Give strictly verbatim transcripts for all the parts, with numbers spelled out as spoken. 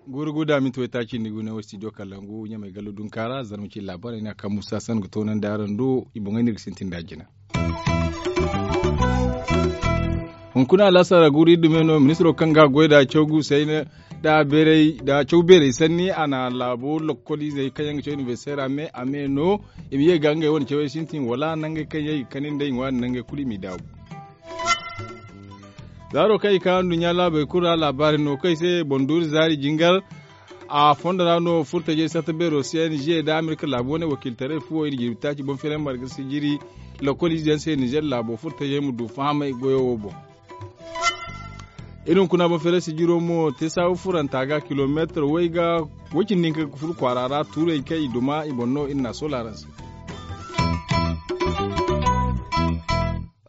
Guuru guuda minti waytaaci nda gune wo studio kalangu ɲamay gallo dunkaara zarma ci laabaarey no a kaŋ musa san ga toonandi araŋ do i boŋey no iri ga sintin nd'a jina. Hunkuna alaasara guuru iri dume no ministiro kaŋ ga a goy nd'a caw guusey nda caw beerey sanni a na laabo lokkoliizey kaŋ yaŋ ga caw inibersitey ra me a me no i ma ye ga ngey wane cawey sintin wala nangey kaŋ yaŋ i ga kani nda i ŋwaari nangey kulu i m'i daabu. Zaaro kaŋ i ka nduɲɲa laabey kulu ra laabaari no kaŋ i se boŋ duuri zaari jingar. A fondo ra no furtajey sarta beero se nizeer nda amerika laabu wane wakiiltaray fuwo iri jirbi taaci boŋ feeray marga sijiri. Lakkol ize yaŋ se nizeer laabo furtajey ma du fahamay goyo wo boŋ. Iri hunkuna boŋ feeray sijiro mo te saabu furanta ga kilomeetar way ga way cindi hinka ga furo kwaara ra tuurey kaŋ i duma i boŋ no iri n'a soola araŋ se.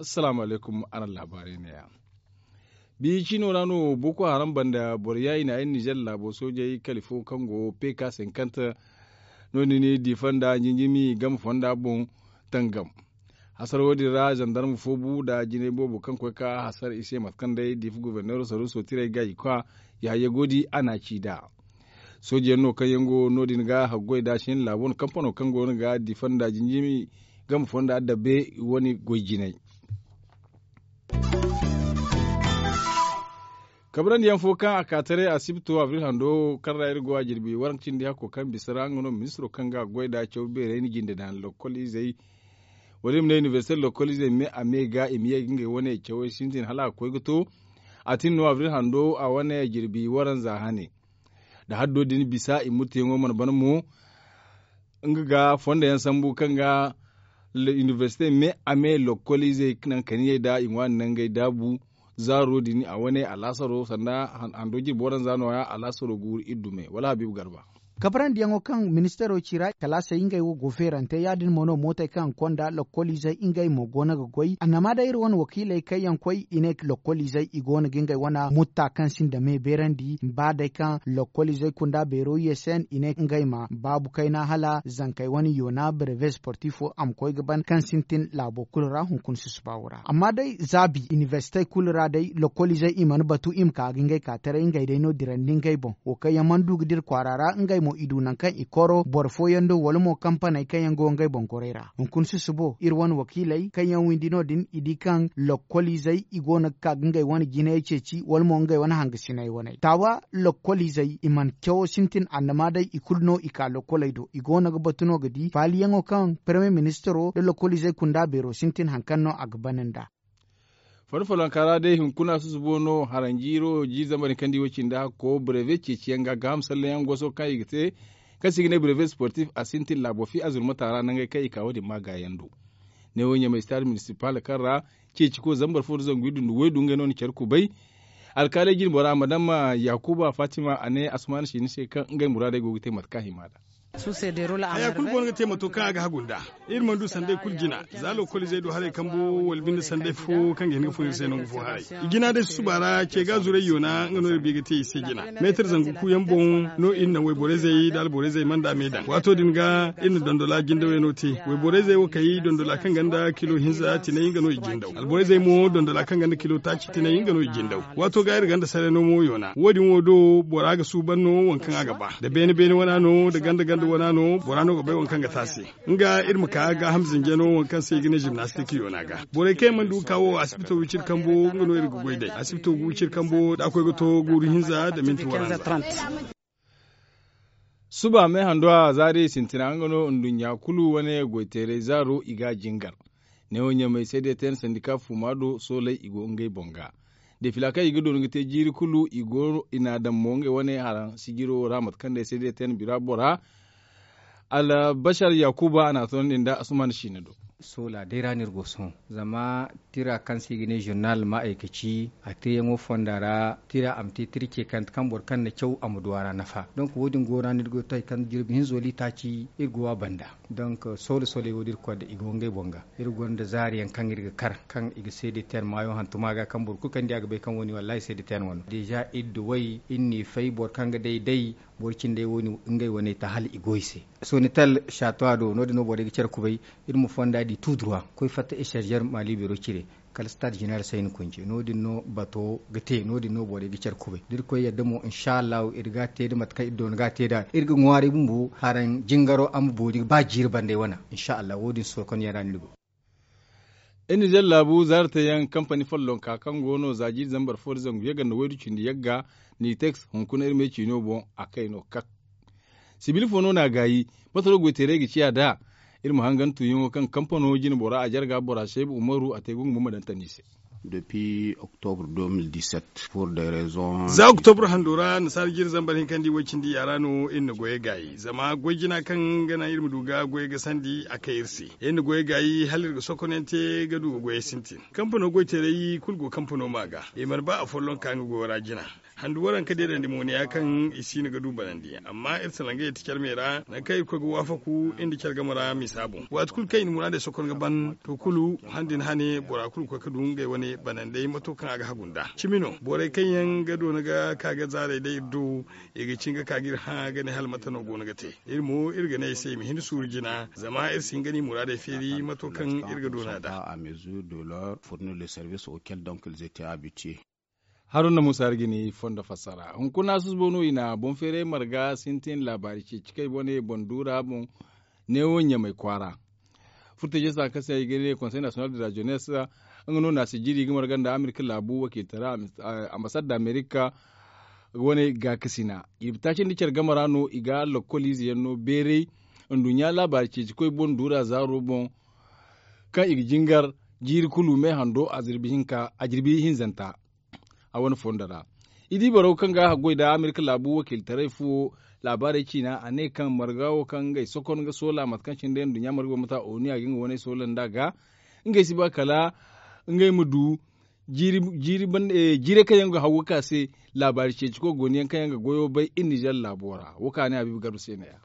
Assalaamu alaykum araŋ laabaarey neeya. Biya ciino ra no boko haram banda boro yaayi na ay nizeer laabo soojey kali fo kaŋ go peka sinkanta no- din i diifa nda jinjimi game fonda boŋ tangam. Hasara wo- din ra zandarma fo bu nda jinay boobo kaŋ koy ka hasara i se mate kaŋ day diifa goborneero saruuso tiray ga i kwa. Yahaya goodi a na a ci nd'a. Sooji yaŋ no kaŋ yaŋ go no- din ga haggoy nda a si hin laabo wane kampano kaŋ go no ga diifa nda jinjimi game fonda dabbe wane goy jinay. Kabrandi yaŋ fo kaŋ a ka taray asibto abril hando kaŋ ra iri go a jirbi waranka cindi hakko kaŋ bisa ra nga no ministiro kaŋ ga a goy nda caw beerey na jinde daŋ lokkol izey. Wala i ma ne inibersite lokkol izey me a me ga i ma ye ga ngey wane cawey sintin hala a ga koy ga to. A tin no abril hando a wane jirbi waranza hane. Da haddo din bisa i murteyaŋo mana ban mo. Nga ga fondo yaŋ sambu kaŋ ga inibersite me a me lokkol izey naŋ kaniyey nda i ŋwaani nangey daabu. Zaaro din a wane alaasaro sanda hando jirbi waranza nooya alaasaro guuru iri dume wala habiibu garba. Kabrandi yaŋo kaŋ ministaro ci ra kalaasey ngey wo go feerante ya- din mo no mootey kaŋ a ga konda lokkol izey ngey mo go no ga goy annama day iri wane wakiiley kaŋ yaŋ koy i ne lokkol izey i go no ga ngey wane mutta kaŋ sinda me beerandi ba day kaŋ lokkol izey kunda beero i se i ne ngey ma baabu kayna hala zankey wane yoona breve sportifo a ma koy ga ban kaŋ sintin laabo kulu ra hunkuna susuba wo ra amma day zaabi inibersitey kulu ra day lokkol izey i mana batu i ma ka ga ngey ka taray ngey day no dirandi ngey boŋ wo kaŋ yaŋ mana du ga dira kwaara ra ngey mo i du naŋ kaŋ i koro boro fooyaŋ do wala mo kampaney kaŋ yaŋ go ngey boŋ gorey ra hunkuna susubo iri wane wakiiley kaŋ yaŋ windi no- din i di kaŋ lokkol izey i go no ga ka ga ngey wane jinayey ceeci wala mo ngey wane hangasiney wane taawa lokkol izey i mana cawo sintin annama day i kulu no i ka lokkoley do i go no ga batu no ga di faaliyaŋo kaŋ peremiye ministiro nda lokkol izey kunda beero sintin hari kaŋ no a ga ban nd'a. Fari folonka ra day hunkuna susubo no haranjiiro jiiri zambar kaŋ di wo cindi hakko breve ceeciyaŋ ga gaaham salleyaŋ goso kaŋ i ga te kaŋ se i ga ne breve sportif a sintin laabo fi a zurmata ra nangey kaŋ i ka wo- din ma gaayaŋ do. Neewo ɲamay sitaad minisipal kaŋ ra ceeciko zambar fo nda zangu iddu nda waydu ngey no na care kubay. Alkaaley jine bora madama yakuba fatima a ne asumaana siini se kaŋ ngey muraadey go ga te mate kaŋ a hima nd'a. Haya kulu go no ga te mato kaŋ a ga hagu nd'a. Iri mana du sanday kulu jina za lokol izey du haray kambo wala binde sanday fo kaŋ ga hin ga fun iri se nangu fo haray. I jina day susuba ra ce ga zuray yoona nga no iri bi ga te i se jina. Meetar zangu kuuyaŋ boŋ no iri na wayborey zey nda alborey zey mana da me daŋ waato din ga iri na dondola jindawey no te. Wayborey zey wo kay dondola kaŋ ganda kilo hinza tinay nga no i jindaw alborey zey mo dondola kaŋ ganda kilo taaci tinay nga no i jindaw. Waato ga iri ganda saray no mo yoona wo- din wo do bora ga suuban no waŋ kaŋ a ga ba da beene beene wana no da ganda ganda wana no bora no ga bay waŋ kaŋ ga te a se. Nga iri ma ka gaaham zinjano waŋ kaŋ se i ga ne jimnastik yoona ga borey kaŋ yaŋ mana du ga ka wo asibito wiciri kambo nga no iri ga goy day asibito ga wiciri kambo da a koy ga to guuru hinza nda minti waranza. Suba me hando a zaari sintina nga no nduɲɲa kulu wane goyteeray zaaro i ga a jingar. Neewo ɲamay seedeetayna sandika fuuma do soolay i go ngey boŋ ga. Defila kaŋ i ga doona ga te jiiri kulu i go i n'a daŋ mo ngey wane haraŋ sijiro wo ra mate kaŋ day seedeetayna bira bora. Albashar yakuba a n'a toonandi nda asuman siina do. Soola day ra no iri go sohõ zama tira kaŋ se i ga ne zurnal ma ay ka ci a teeyaŋo fonda ra tira a ma te tira ce kaŋ boro kaŋ na caw a ma du a ra nafa. Donk wo- din go ra no iri go ga to hari kaŋ jirbi hinzo liitaaci iri go a banda. Donk soola sooley wo- din iri koy da i go ngey boŋ ga iri gonda zaari yaŋ kaŋ iri ga kar kaŋ i ga seede teer maayo hantuma ga kaŋ boro kulu kaŋ di a ga bay kaŋ wo- ni wallaahi seede teer wano deeza iri duwey iri n'i fay boro kaŋ ga day day boro cindey wo- ni ngey wane ta hala i go i se. Sonitel saatuwa do no- din no borey ga care kubay iri ma fonda di tuuduruwa koy fatta echarzer maali beero cire kala stade zeneral sayni kunce no- din no bato ga te no- din no borey ga care kubay da iri koy yadda mo insa allahu iri ga a te da mate kaŋ iri doona ga a te nd'a iri ga ŋwaaray bumbo haraŋ jingaro a ma boori ba jiiri banday wana insa allahu wo- din sorkonyaŋ ra no iri go. Iri nizer laabu zaaratayaŋ kampani follonka kaŋ go no za jiiri zambar fo da zangu yagga nda waydu cindi yagga niteks hunkuna iri me ciino boŋ a kay no kak. Sibil fo no n'a gaayi? Mate no goyteerey ga ciya nd'a? Iri ma hangan tuuyaŋo kaŋ kampano jine bora a jarga bora seeb umaru a te gungu ma ma daŋ tandi se. Depuis octobre deux mille dix-sept pour des raisons za octobre hando ra nasaara jiri zambar hinkandi way cindi yaara no iri na goyey gaayi zama goy jina kaŋ ga naŋ iri ma du ga goyey ga sandi a kay iri se. Iri na goyey gaayi hala iri ga sokonante ga du ga goyey sintin kampano goyteerey kulu go kampano ma ga i mana ba afolloŋ ka nga goyo ra jina. Handu waranka deedandi mo ne ya kaŋ i si no ga du banandi amma iri salangey ti care me ra nangu kaŋ irkoy ga waafaku iri nda care game ra misa boŋ waati kulu kaŋ i na muraadey sokon ga ban to kulu han din hane bora kulu ga koy ga du ngey wane banandey mato kaŋ a ga hagu nd'a cimi no borey kaŋ yaŋ ga doona ga ka ga zaarey day iri do i ga cin ga ka ga iri hã ga ne hala mate no go no ga te. Iri mo iri ga ne ay se i ma hin suuru jina zama iri si hin ga ni muraadey feeri mato kaŋ iri ga doona nd'a. Haruna musa iri ga ni fondo fassara hunkuna susubo no i na boŋ feeray marga sintin laabaari ceeci kaŋ i bone boŋ duura boŋ neewo ɲamay kwaara. Furtaje sa kaŋ se i ga ne konsey nasiyonal de la jenes nga no na si jiri i ga marga nda amerika laabu wakiiltara ambasad da amerika wane gaakasina i bi taaci nda care game ra no i ga lokkol ize yaŋ no beeray nduɲɲa laabaari ceeci koy boŋ duura zaaro boŋ kaŋ i ga jingar jiiri kulu me hando a jirbi hinzanta. A wane fondo ra i di boro kaŋ ga a haggoy nda amerika laabu wakiiltaray fuwo laabaarey ciina a ne kaŋ marga wo kaŋ ngey sokon ga soola mate kaŋ cine day nduɲɲa marga wo mate a onu a ga nga wane soola nd'a ga ngey si ba kala ngey ma du jiirey kaŋ yaŋ ga haw ga ka se laabaari ceeci koy gooni yaŋ kaŋ yaŋ ga goyo bay iri nizer laabo ra wo kaŋ a ne a biibi garba se ne ya.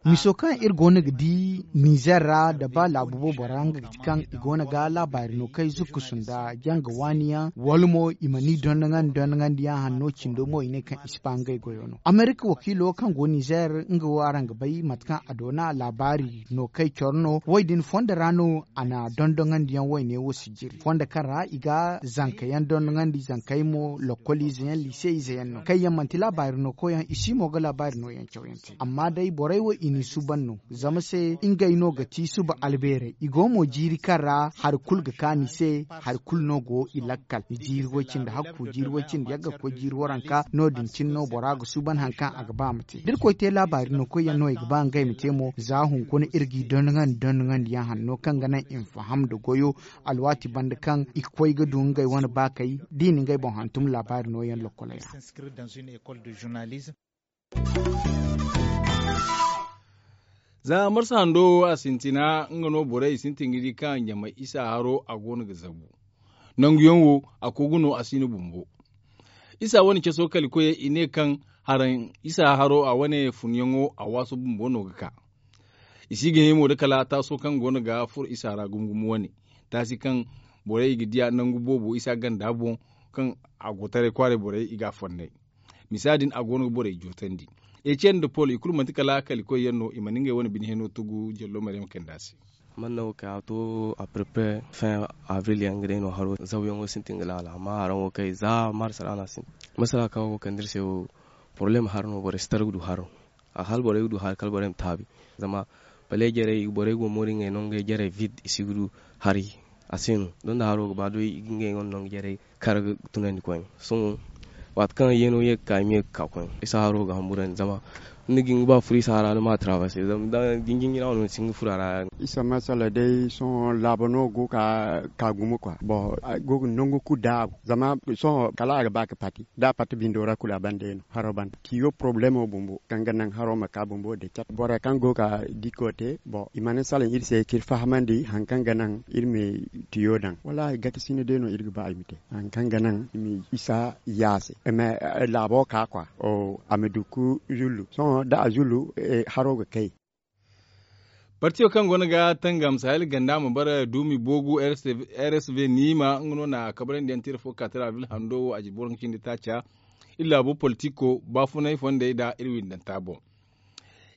Miso kaŋ iri go no ga di nizer ra nda ba laabu boobo ra nga ga ti kaŋ i go no ga laabaari no kaŋ ay zukkusu nda janga waani yaŋ wala mo i ma ni dondoŋandi dondoŋandi yaŋ hanno cindo mo i ne kaŋ i si ba ngey goyo no amerika wakiilo kaŋ go nizer nga wo araŋ ga bay mate kaŋ a doona laabaari no kaŋ ay coro no wo- din fondo ra no a na dondoŋandi yaŋ wayne wo si jiri fondo kaŋ ra i ga zanka yaŋ dondoŋandi zankey mo lokkol ize yaŋ liise ize yaŋ no kaŋ yaŋ manti laabaari no koy yaŋ i si mo ga laabaari no yaŋ caw yaŋ te amma day borey wo i n'i suuban no zama se ngey no ga ti suba albeerey i go mo jiiri kaŋ ra hari kulu ga kaanu i se hari kulu no go i lakkal jiiri way cindi hakku jiiri way cindi yagga ga koy jiiri waranka no- din cine no bora ga suuban hari kaŋ a ga ba a ma te da irkoy te laabaari no koy yaŋ no i ga ba ngey ma te mo za hunkuna iri g'i dondoŋandi dondoŋandi yaŋ hanno kaŋ ga naŋ i ma faham nda goyo alwaati banda kaŋ i ga koy ga du ngey wane baakey da i na ngey boŋ hantum laabaari no yaŋ lokkoley ra. Za marsa hando wo a sintina nga no borey i sintin ga di kaŋ ɲamay isa haro a go no ga zabu nanguyaŋ wo a kogu no a si no bumbo. Isa wane caso kala koyey i ne kaŋ haraŋ isa haro a wane funyaŋo a waaso bumbo no ga ka. I si ga hima wo da kala taaso kaŋ go no ga furo isa ra gumo gumo wane taasi kaŋ borey i ga diya nangu boobo isa ganda boŋ kaŋ a go taray kwaaray borey i ga a fonnay. Misa din a go no ga borey jootandi. Ecen nda pol i kulu manti kala kalikoy yaŋ no i mana ngey wane bine heno tugu jallo maryam kayndi a se. Man no ka to a prepare fin avril yaŋ ga day no haro zawyaŋo sintin ga laala amma haraŋo kay za marsa ra no a sintin. Masala kaŋ go kande iri se wo problème haro no borey si tara ga du haro. A hala borey ga du haro kala borey ma taabi zama paley jarey borey go moori ngey no ngey jarey vide i si ga du hari. A se no donda haro ga ba doy i ga ngey wane nangu jarey kar ga tunandi koyne sohõ. Waati kaŋ yeeno ye ga ka i ma ye ga ka koyne isa haro ga hamburandi zama Ni ga hin ga ba furo isa ra ni ma a tarabarse zama da jinjin jina wano ni si hin ga furo a ra. Isa masala day sohõ laabo no go ga ka gumo kwa bon a go ga nangu kulu daabu zama sohõ kala a ga ba ga pati da a pati bindo ra kulu a banda yaŋ no haro banda tiyo porobalemo bumbo kaŋ ga naŋ haro ma ka bumbo da cat borey kaŋ go ga diko te bon i mana salaŋ iri se ka iri fahamandi hari kaŋ ga naŋ iri ma tiyo daŋ wallaahi gata sina day no iri ga ba i ma te hari kaŋ ga naŋ i ma isa yaase. Laabo ka kwa a ma du ka zullu sohõ da a zullu haro ga kay. Partiyo kaŋ go no ga tangam sahel ganda ma bara duumi boogu rsv niima nga no na kabarandiyaŋ tira fo ka tira albil hando wo a jirbi waranka cindi taaca iri laabo politiko baafunay fondey nda iri windanta boŋ.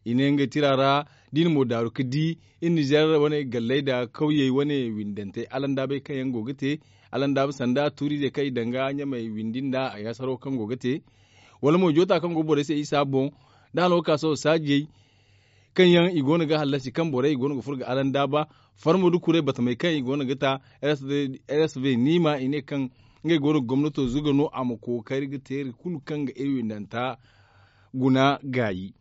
I ne ngey tira ra da i na mo daaru ga di iri nizer wane galley nda kawyey wane windantey alandaabey kaŋ yaŋ go ga te alandaaba sanda tuuriizey kaŋ i daŋ ga ɲamey windi nda a yaasaro kaŋ go ga te wala mo joota kaŋ go borey se isa boŋ da hano ga ka sohõ saajey kaŋ yaŋ i go no ga hallasi kaŋ borey i go no ga furo ga alandaaba farmo da kuray batamey kaŋ i go no ga ta rsv niima i ne kaŋ ngey go no ga gomnato zuga no a ma kookari ga teeri kulu kaŋ ga iri windanta guna gaayi.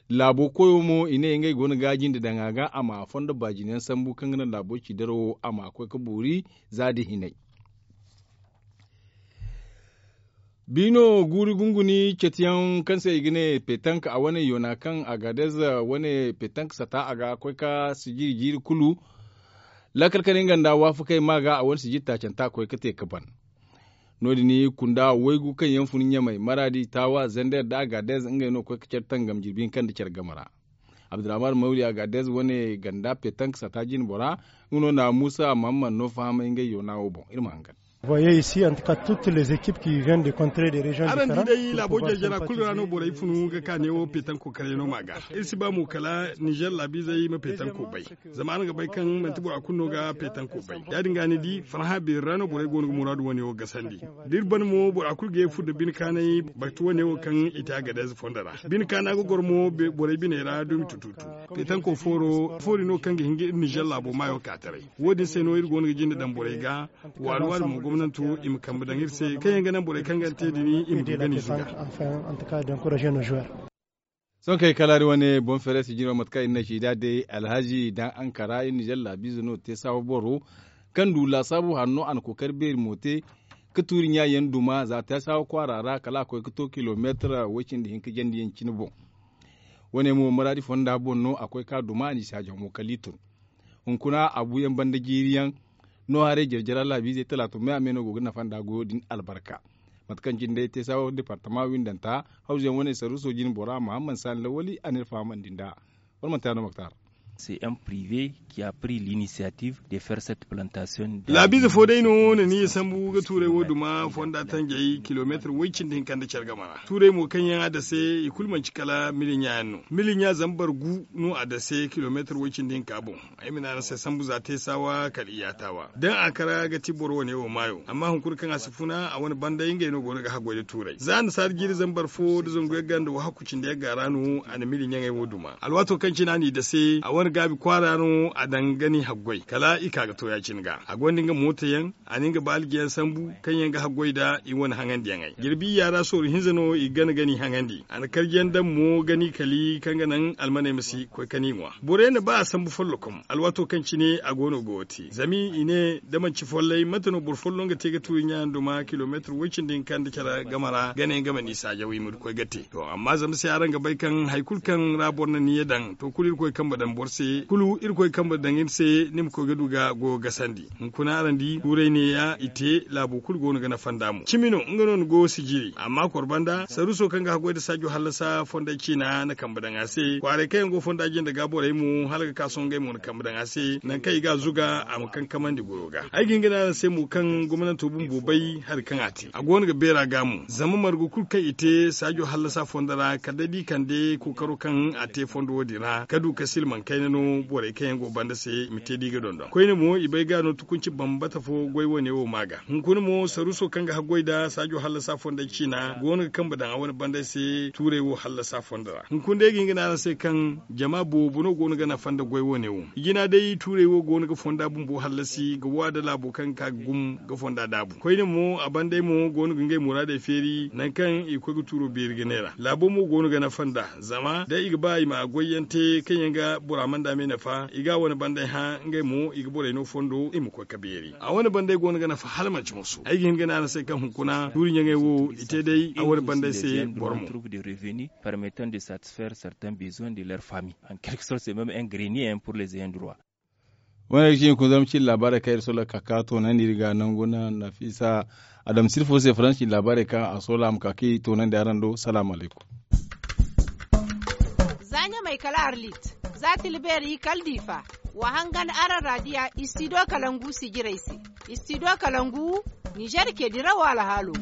Laabo koyo mo i ne ngey go no ga jinde daŋ a ga a ma fondo baajinayaŋ sambu kaŋ ga naŋ laabo ci daro wo a ma koy ga boori za da hinay. Biino guuri gunguni cetiyaŋ kaŋ se i ga ne petank a wane yoona kaŋ agadez wane petank sata a ga koy ga sijiri jiiri kulu. Laakal kane nga nda waafakey ma ga a wane sijiri taacanta a koy ga te ga ban. No- din kunda waygu kaŋ yaŋ fun ɲamey maraadi taawa zender nda agadez ngey no ga koy ga care tangam jirbi hinka nda care game ra. Abdurrahman mawri agadez wane ganda petank sata jine bora nga no na muusa mahamman no fahamay ngey yoona wo boŋ iri ma hangan. Araŋ di day laabo jare-jara kulu ra no borey funu ga ka neewo petanko karyaŋo ma ga. Iri si ba mo kala nizer laabiizey ma petanko bay. Zama araŋ ga bay kaŋ manti bora kulu no ga petanko bay ya- din ga ni di farhã beeri ra no borey go no ga muraadu wane wo gasandi. Da iri ban mo bora kulu ga ye ga furo nda bine kaanay batu wane wo kaŋ i te agadez fondo ra. Bine kaana ga goro mo borey biney ra dumi tututu. Petanko foori no kaŋ ga hin ga iri nizer laabo maayo ka taray. Wo- din se no iri go no ga jinde daŋ borey ga. Waali waali mo gomnanto i ma kambe daŋ iri se kaŋ yaŋ ga naŋ borey kaŋ ga ni te din i ma du ga ni zuga. Sohõ kay kala iri wane boŋ feere sijiro mate kaŋ iri na ci nd'a day alhazi daŋ ankara iri nizer laabiize no te saawa boro kaŋ du laasaabu hanno a na kookari beeri mo te ga tuuri ɲaayaŋ duma za te saawa kwaara ra kala a koy ga to kilomeetar way- cindi hinka jandiyaŋ cine boŋ. Wane mo maraadi fonda boŋ no a koy ga duma a n'i saajaŋ mo kala i tun. Hunkuna a buuyaŋ banda jiiriyaŋ no haray jare-jara laabiizey talaato me a me no go ga nafa nd'a goyo din albarka. Mate kaŋ cine day te saawa departama windanta hawzuyaŋ wane saruuso jine bora mahamman saani lawali a n'iri fahamandi nd'a. Wala manti yaŋ no moktar. C'est un privé qui a pris l'initiative de faire cette plantation. Laabiize fo day no na ni sambu ga tuuray wo duma fonda tanjay kilomeetar way- cindi hinka nda care game ra tuuray mo kaŋ yaŋ a dase i kulu manci kala miliɲa yaŋ no miliɲa zambar gu no a dase kilomeetar way- cindi hinka boŋ. Ay ma ne araŋ se sambu za te saawa kala i yaataawa daŋ a kara ga ti boro wane wo maayo amma hunkuna kaŋ a si funa a wane banday ngey no go no ga haggoy nda tuuray za annasaara jiiri zambar fo nda zangu yagga nda wahakku cindi yagga ra no a na mili ɲaŋey wo duma alwaato kaŋ cine a n'i dase a wane gaabi kwaara no a daŋ ga ni haggoy kala i ka ga to ya- cine ga a gonda nga mooto yaŋ a na nga baalijiyaŋ sambu kaŋ yaŋ ga haggoy nda i wane haŋandiyaŋey jirbi iyya ra sooru hinza no i gana ga ni haŋandi a na karjiyaŋ daŋ mo ga ni kali kaŋ ga naŋ almaney ma si koy ka ni ŋwa borey na ba a sambu follokom alwaato kaŋ cine a go no ga wo te zama i ne da manci follay mate no boro folloŋ ga te ga tuuri ɲayaŋ duma kilomeetar way- cindi hinka nda care game ra ga ne nga ma ni saajaw i ma du koy ga te to amma zama se araŋ ga bay kaŋ hari kulu kaŋ ra boro na niya daŋ to kulu irkoy kambe daŋ boro se kulu irkoy kambe daŋ iri se ni ma koy ga du ga goyo gasandi hunkuna araŋ di tuuray neeya i te laabo kulu go no ga nafa nd'a mo cimi no nga no ni goyo si jiri amma kor banda saruuso kaŋ ga haggoy nda saajo hallasa fonday ciina na kambe daŋ a se kwaaray kaŋ yaŋ go fonda jinde ga borey mo hala ga ka sohõ ngey mo na kambe daŋ a se nangu kaŋ i ga a zuga a ma kankamandi goyo ga ay ga hin ga ne araŋ se mo kaŋ gomnanto bumbo bay hari kaŋ a te a go no ga beera ga mo zama margu kulu kaŋ i te saajo hallasa fondo ra kala day da i kande kookaro kaŋ a te fondo wo- din ra ka du ka silmaŋ kayna. No borey kaŋ yaŋ go banda se i ma te da i ga dondon koyne mo i bay ga no tukunci bambata fo goy wane wo ma ga hunkuna mo saruso kaŋ ga haggoy nda saajo hallasa fonda ciina go no ga kambe daŋ a wane bandey se tuurey wo hallasa fonda ra hunkuna day ga hin ga ne araŋ se kaŋ jama boobo no go no ga nafa nda goy wane wo. I jina day tuurey wo go no ga fonda bumbo hallasi ga wa nda laabo kaŋ ga ka ga gum ga fonda daabu koyne mo a bandey mo go no ga ngey muraadey feeri nangu kaŋ i ga koy ga tuuro beeri ga neera laabo mo go no ga nafa nda zama day i ga ba i ma goyyaŋ te kaŋ yaŋ ga bora mana daamey nafa i ga a wane bandey hã ngey mo i ga borey no fondo i ma koy ka beeri a wane bandey go no ga nafa hala manci moso ay ga hin ga ne araŋ se kaŋ hunkuna tuuri ɲaŋey wo i te day a wane bandey se boro mo. Permettant de satisfaire certains besoins de leur famille en quelque sorte c'est même un grenier pour les ayants droit. Wane ga ci hunkuna zama ci laabaarey kaŋ iri sola ka ka toonandi iri ga nangu na nafisa adam sirfo se faransi laabaarey kaŋ a sola a ma ka ka i toonandi araŋ do salaamu alaykum. Za ɲamay kala arlit za tilbeeri kala diifa wa hangan araŋ raadiya istido kalangu sijirey se. Istido kalangu nizer ke dirawo alhaalo.